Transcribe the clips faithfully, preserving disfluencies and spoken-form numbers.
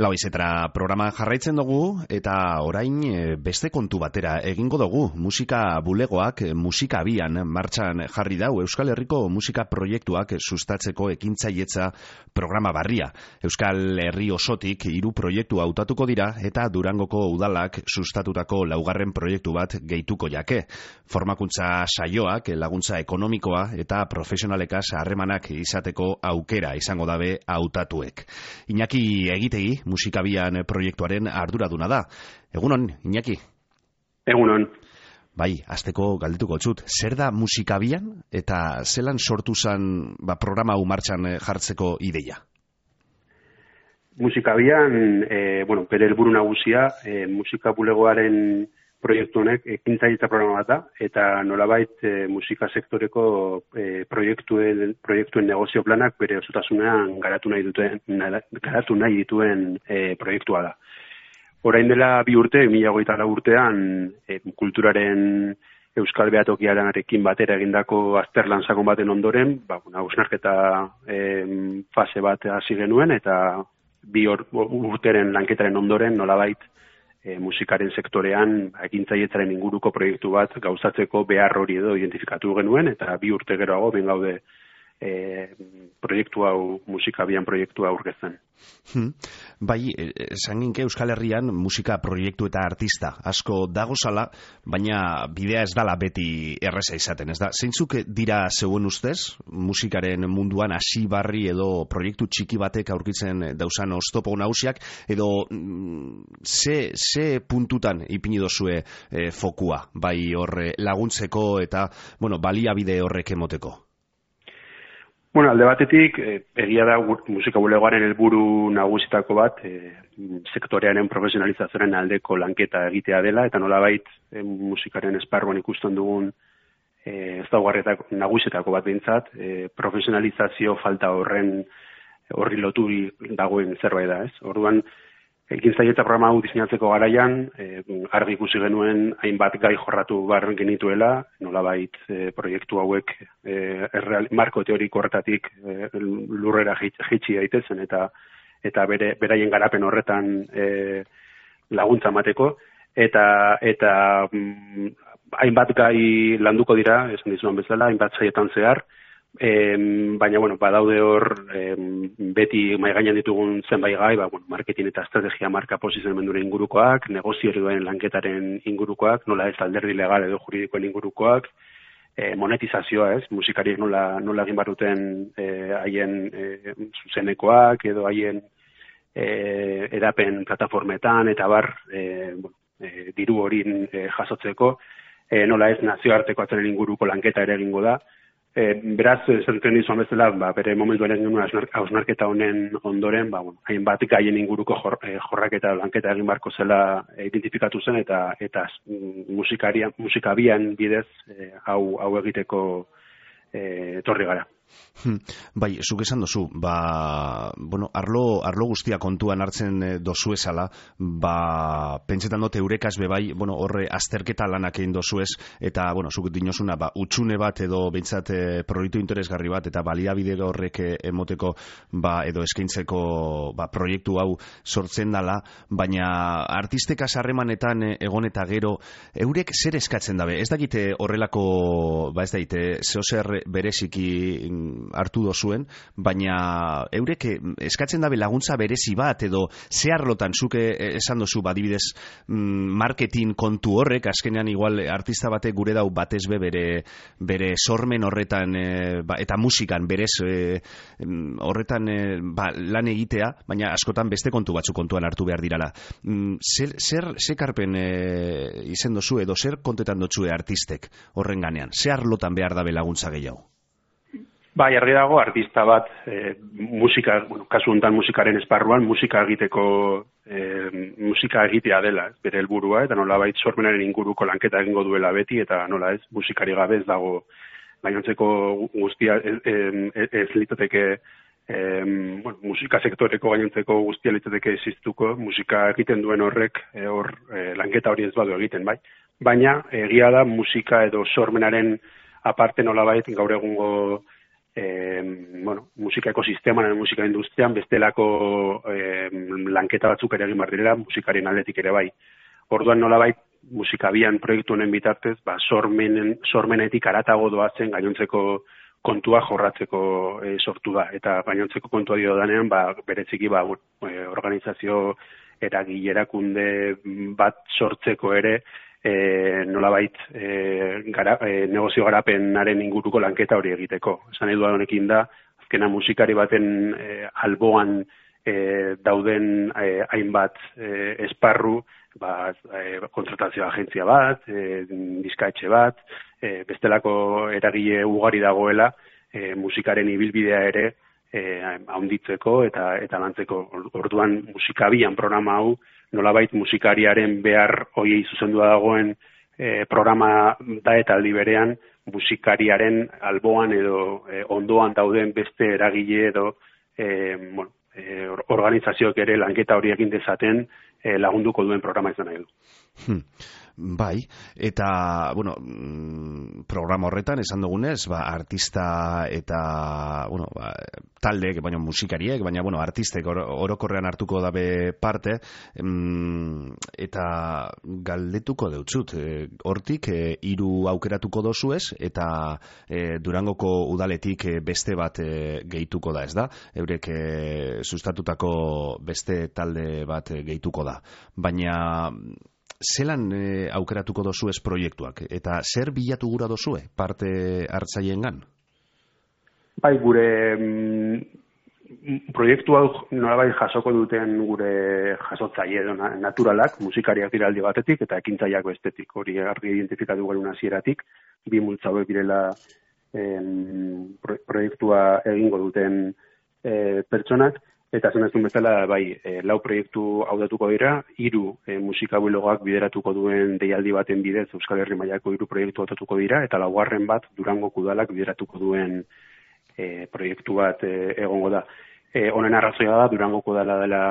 Lau izetra programa jarraitzen dugu eta orain beste kontu batera egingo dugu. Musika bulegoak musika abian martxan jarri dau Euskal Herriko musika proiektuak sustatzeko ekintzailetza programa barria. Euskal Herri osotik hiru proiektu hautatuko dira eta Durangoko udalak sustatutako laugarren proiektu bat gehituko jake. Formakuntza saioak, laguntza ekonomikoa eta profesionalekaz harremanak izateko aukera izango dabe hautatuek. Iñaki Egitegi musikabian proiektuaren arduraduna da. Egunon, Iñaki? Egunon. Bai, hasteko galdetuko txut. Zer da musikabian eta zelan sortu zen ba, programa hau martxan jartzeko ideia? Musikabian, e, bueno, bere helburu nagusia, e, musika bulegoaren proiektu honek ekintzailetza programa bat da, eta nolabait e, musika sektoreko e, proiektuen, proiektuen negozio planak bere osotasunean garatu nahi duten, garatu nahi dituen e, proiektua da. Orain dela bi urte, mila hogeita lau urtean, e, kulturaren Euskal Behatokiarekin batera egindako azterlan sakon baten ondoren, ba, hausnarketa e, fase bat hasi genuen, eta bi urteren lanketaren ondoren nolabait E, musikaren sektorean ekintzailetzaren inguruko proiektu bat gauzatzeko behar hori edo identifikatu genuen, eta bi urte geroago ben gaude e, proiektu hau, musikabian proiektua aurkezten. Hmm. Bai, esan ginke Euskal Herrian musika proiektu eta artista asko dagozala, baina bidea ez dala beti erreza izaten, ez da? Zeintzuk dira zeuen ustez, musikaren munduan hasi barri edo proiektu txiki batek aurkitzen dauzan oztopo nagusiak, edo ze, ze puntutan ipini dozue e, fokua, bai horre laguntzeko eta bueno, baliabide horrek emoteko? Bueno, alde batetik, eh, egia da musika bulegoaren helburu nagusitako bat, eh, sektorearen profesionalizazioaren aldeko lanketa egitea dela, eta nolabait eh, musikaren esparruan ikusten dugun eh, ez daugarretako nagusietako bat behintzat, eh, profesionalizazio falta horren horri loturi dagoen zerbait da, ez? Orduan, ekintzailetza programa hau diseinatzeko garaian, eh, argi ikusi genuen hainbat gai jorratu bar genituela, nolabait eh, proiektu hauek eh, erreal, marko teoriko horretatik eh, lurrera jaitsi daitezen eta eta bere beraien garapen horretan eh, laguntza emateko, eta eta mm, hainbat gai landuko dira, esan dizuan bezala, hainbat saietan zehar. E, baina, bueno, badaude hor e, beti mai gainean ditugun zenbait gai, ba, bueno, marketing eta estrategia marka posizionamenduaren ingurukoak, negozio ereduen lanketaren ingurukoak, nola ez alderdi legal edo juridikoen ingurukoak, e, monetizazioa, ez, musikariek nola, nola egin baruten haien e, zuzenekoak edo haien e, edapen plataformetan eta bar e, bueno, e, diru horin e, jasotzeko, e, nola ez nazioarteko atzaren inguruko lanketa ere egingo da. E, beraz, zentzen dizuan bezala, ba, bere momentu ere genuen hausnarketa honen ondoren, ba, bueno, hainbat gaien inguruko jor, e, jorraketa lanketa egin barko zela e, identifikatu zen, eta eta musikaria, musikabian bidez e, hau, hau egiteko e, etorri gara. Hmm. Bai, zuk esan dozu, ba, bueno, arlo, arlo guztia kontuan hartzen dozu esala, ba, pentsetan dut eurekaz bebai, bueno, horre azterketa lanak egin dozuez, eta, bueno, zuk dinosuna, ba, utxune bat edo behintzat e, proiektu interesgarri bat, eta baliabide horrek emoteko, ba, edo eskaintzeko, ba, proiektu hau sortzen dala, baina artistekaz harremanetan egon eta gero, eurek zer eskatzen dabe? Ez dakite horrelako, ba, ez daite, zehozer bereziki hartu dozuen, baina eurek eskatzen dabe laguntza berezi bat edo ze arlotan zuke esan dozu badibidez marketing kontu horrek, azkenean igual artista batek gure dau batez be bere, bere sormen horretan e, ba, eta musikan berez e, horretan e, ba, lan egitea, baina askotan beste kontu batzu kontuan hartu behar dirala. Zer, zer, zer karpen e, izen dozu edo zer kontetan dotzue artistek horren ganean? Ze arlotan behar dabe laguntza gehiago? Bai, argi dago artista bat e, musika, bueno, kasu honetan musikaren esparruan musika egiteko e, musika egitea dela, ez, bere helburua, eta nolabait sormenaren inguruko lanketa egingo duela beti, eta nola ez, musikari gabe ez dago gainontzeko guztia ez, ez, ez litzateke e, bueno, musika sektoreko gainontzeko guztia litzateke existuko, musika egiten duen horrek e, hor e, lanketa hori ez badu egiten, bai. Baina egia da musika edo sormenaren aparte nolabait gaur egungo e, bueno, musika ekosisteman, musika industrian, bestelako e, lanketa batzuk ere egin behar direla, musikarien aldetik ere bai. Orduan nolabait, musika bian proiektu honen bitartez, ba, sormenen, sormenetik aratago doazen gainontzeko kontua jorratzeko e, sortu da. Eta gainontzeko kontua dio danean, ba, bereziki ba, e, organizazio eragile erakunde bat sortzeko ere, e, nolabait e, gara, e, negozio garapenaren inguruko lanketa hori egiteko. Esan edu honekin da, azkena musikari baten e, alboan e, dauden e, hainbat e, esparru, ba, e, kontratazio agentzia bat, e, diskaetxe bat, e, bestelako eragile ugari dagoela, e, musikaren ibilbidea ere e, haunditzeko eta eta lantzeko. Orduan musikabian programa hau nolabait musikariaren behar hoiei zuzendua dagoen e, programa da eta aldi berean musikariaren alboan edo e, ondoan dauden beste eragile edo e, bueno, e, organizazioak ere lanketa hori egin dezaten e, lagunduko duen programa izan nahi du. Hmm. Bai, eta, bueno, programa horretan, esan dugunez, ba, artista eta, bueno, ba, taldeek, baina musikariek, baina, bueno, artistek or, orokorrean hartuko dabe parte, mm, eta galdetuko deutzut, e, hortik, e, hiru aukeratuko dozuez, eta e, Durangoko udaletik e, beste bat e, gehituko da, ez da? Eurek e, sustatutako beste talde bat e, gehituko da. Baina zelan e, aukeratuko dozuez proiektuak? Eta zer bilatu gura dozue parte hartzaiengan? Bai, gure mm, proiektu hau nolabait jasoko duten gure jasotzaile edo naturalak, musikariak dira aldi batetik eta ekintzaileak bestetik. Hori argi identifikatu garen hasieratik, bi multzo hauek direla em, proiektua egingo duten e, pertsonak. Eta zen ez duen bezala, bai, e, lau proiektu haudatuko dira, hiru e, musikabulogoak bideratuko duen deialdi baten bidez Euskal Herri mailako hiru proiektu hautatuko dira, eta laugarren bat Durangoko udalak bideratuko duen e, proiektu bat e, egongo da. E, honen arrazoia da, Durangoko udala dela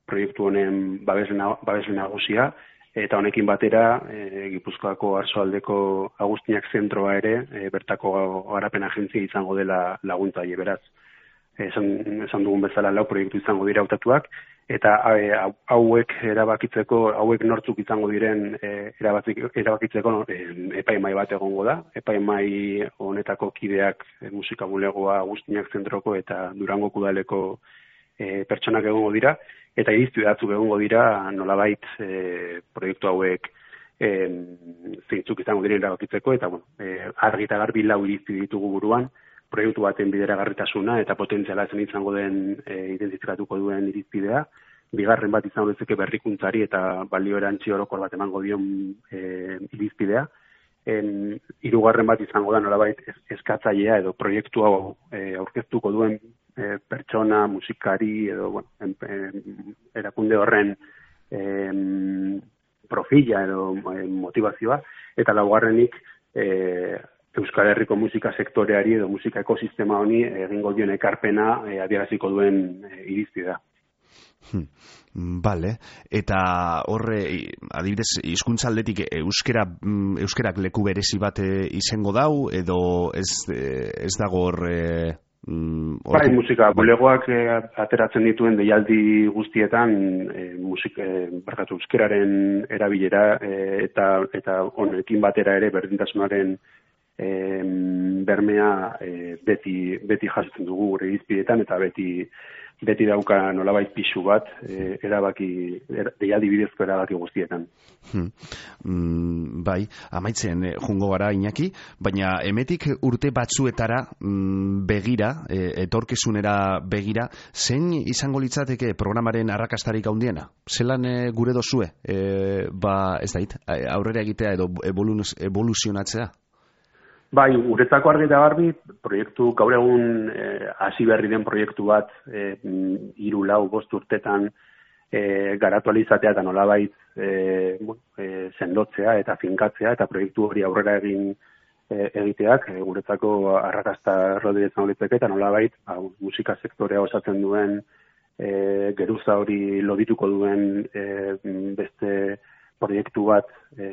proiektu honen babesle nagusia, eta honekin batera e, Gipuzkoako Arsoaldeko Agustinak zentroa ere, e, bertako garapen agentzia izango dela laguntzaile beraz. Esan, esan dugun bezala lau proiektu izango dira hautatuak, eta e, hauek erabakitzeko, hauek nortzuk izango diren e, erabakitzeko no, e, epaimai bat egongo da. Epaimai honetako kideak e, musikabulegoa Agustinak zentroko eta Durangoko udaleko e, pertsonak egongo dira, eta irizpide batzuk egongo dira nolabait e, proiektu hauek e, zeintzuk izango diren erabakitzeko, eta bueno, e, argi eta garbi lau irizpide ditugu buruan, proiektu baten bideragarritasuna eta potentziala zen izango den e, identifikatuko duen irizpidea. Bigarren bat izango dezake berrikuntzari eta balio erantzi orokor bat emango dion e, irizpidea. En, hirugarren bat izango da nolabait eskatzailea edo proiektu hau e, aurkeztuko duen e, pertsona, musikari edo bueno, en, en, erakunde horren e, profila edo e, motivazioa. Eta laugarrenik e, Euskal Herriko musika sektoreari edo musika ekosistema honi egingo dion ekarpena e, adieraziko duen e, irizpidea. Hmm. Vale. Eta horre, adibidez, hizkuntza aldetik euskera, euskerak leku berezi bat izango dau edo ez, ez dago hor... Mm, bai, musika bulegoak e, ateratzen dituen deialdi guztietan e, musik, e, barkatu, euskeraren erabilera e, eta, eta honekin batera ere berdintasunaren E, bermea e, beti, beti jasotzen dugu gure irizpidetan eta beti, beti dauka nolabait pisu bat e, erabaki, er, deialdi bidezko erabaki guztietan. Hmm. Mm, bai, amaitzen jungo gara Iñaki, baina emetik urte batzuetara mm, begira, e, etorkizunera begira, zein izango litzateke programaren arrakastarik handiena? Zelan e, gure dozue? E, ba, ez dait, aurrera egitea edo evoluzionatzea? Bai, guretzako argi eta garbi, proiektu gaur egun hasi e, berri den proiektu bat e, hiru lau bost urtetan e, garatu alizatea eta nolabait e, bueno, e, sendotzea eta finkatzea eta proiektu hori aurrera egin e, egiteak e, guretzako arrakasta errodire izango litzake eta nolabait ba, musika sektorea osatzen duen e, geruza hori lodituko duen e, beste proiektu bat e,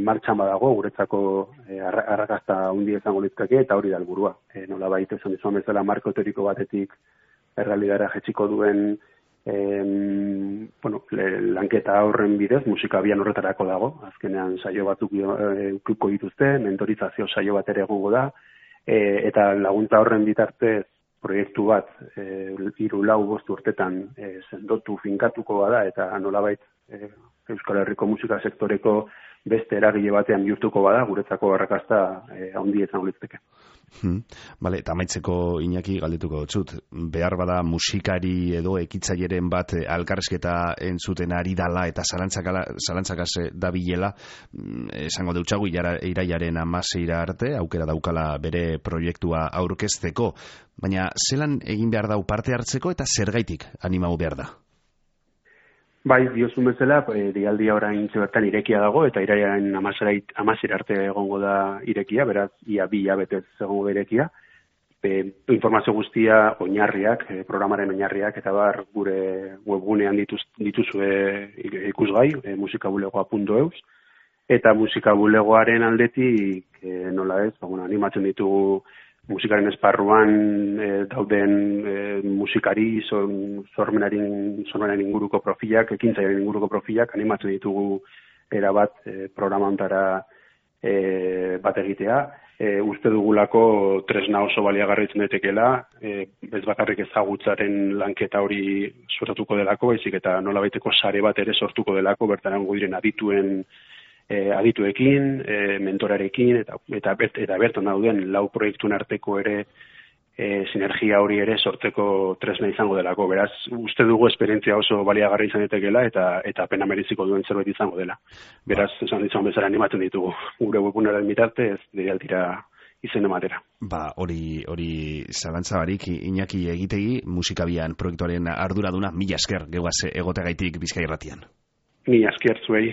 martxan badago, guretzako e, arrakasta hundi izango litzake, eta hori da helburua. E, nola baita esan dizuan bezala marko teoriko batetik errealidadera jetxiko duen e, bueno, lanketa horren bidez, musika bian horretarako dago, azkenean saio batzuk ukiko dituzte, mentorizazio saio bat ere egongo da, e, eta laguntza horren bitartez proiektu bat e, hiru lau bost urtetan e, sendotu finkatuko bada, eta nolabait e, Euskal Herriko musika sektoreko beste eragile batean bihurtuko bada, guretzako arrakasta eh, handi izango litzateke. Hmm. Vale, eta amaitzeko Iñaki galdetuko dut. Behar bada musikari edo ekitzaileren bat alkarrezketa entzuten ari dala eta zalantzakaz dabilela, esango deutxagu irailaren hamaseira arte, aukera daukala bere proiektua aurkezteko, baina zelan egin behar dau parte hartzeko eta zergaitik animau behar da? Bai, diozun bezala, e, dialdia orain bertan irekia dago, eta irailaren hamasera arte egongo da irekia, beraz, ia bi hilabetez egongo da irekia. E, informazio guztia, oinarriak, e, programaren oinarriak, eta bar gure webgunean dituz, dituzue ikusgai, e, musikabulegoa puntu eus, eta musikabulegoaren aldetik, e, nola ez, ba, bueno, animatzen ditugu musikaren esparruan e, dauden e, musikari, sormenaren son, inguruko profilak, ekintzaiaren inguruko profilak, animatzen ditugu erabat e, programantara e, bat egitea. E, uste dugulako tresna oso baliagarritzen daitekeela, e, ez bakarrik ezagutzaren lanketa hori sortuko delako, baizik eta nolabaiteko sare bat ere sortuko delako, bertan diren adituen E, adituekin, e, mentorarekin, eta, eta, eta bertan dauden lau proiektuen arteko ere e, sinergia hori ere sortzeko tresna izango delako. Beraz, uste dugu esperientzia oso baliagarri izan daitekeela eta eta pena meriziko duen zerbait izango dela. Beraz, esan dizuan bezala animatzen ditugu. Gure webgunaren bitartez, deialtira izen ematera. Ba, hori hori zalantza barik, Iñaki Egitegi, musikabian proiektuaren arduraduna, mila esker, geugaz egotegaitik Bizkaia Irratian. Mila esker zuei.